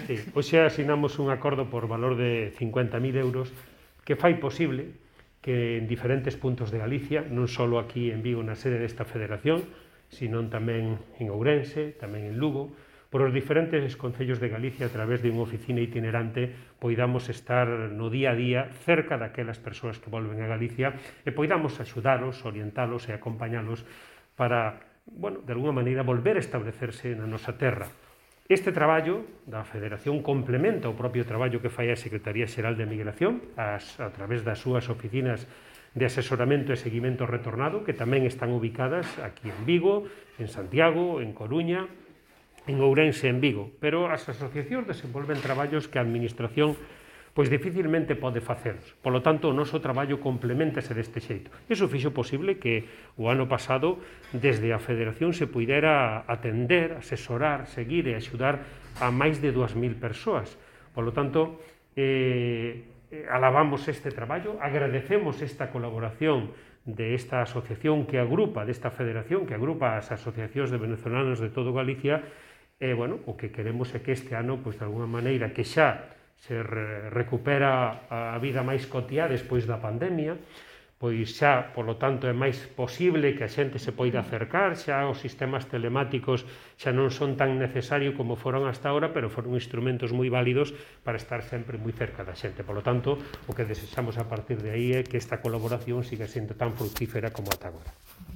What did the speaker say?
Sí. Hoxe asinamos un acordo por valor de 50.000 euros que fai posible que en diferentes puntos de Galicia, non só aquí en Vigo na sede desta federación, sino tamén en Ourense, tamén en Lugo, por os diferentes concellos de Galicia a través de unha oficina itinerante poidamos estar no día a día cerca daquelas persoas que volven a Galicia e poidamos axudalos, orientalos e acompañalos para, bueno, de alguna maneira volver a establecerse na nosa terra. Este traballo da Federación complementa o propio traballo que fai a Secretaría Xeral de Migración a través das súas oficinas de asesoramento e seguimento retornado, que tamén están ubicadas aquí en Vigo, en Santiago, en Coruña, en Ourense e en Vigo. Pero as asociacións desenvolven traballos que a Administración pois dificilmente pode facelos. Polo tanto, o noso traballo complementase deste xeito. Iso fixo posible que o ano pasado, desde a Federación, se puidera atender, asesorar, seguir e axudar a máis de 2.000 persoas. Polo tanto, alabamos este traballo, agradecemos esta colaboración desta asociación que agrupa, desta federación que agrupa as asociacións de venezolanos de todo Galicia, e, bueno, o que queremos é que este ano, pois, de alguna maneira, que xa se recupera a vida máis cotiá despois da pandemia, pois xa, polo tanto, é máis posible que a xente se poida acercar, xa os sistemas telemáticos xa non son tan necesarios como foron hasta ahora, pero foron instrumentos moi válidos para estar sempre moi cerca da xente. Polo tanto, o que desexamos a partir de aí é que esta colaboración siga sendo tan fructífera como ata agora.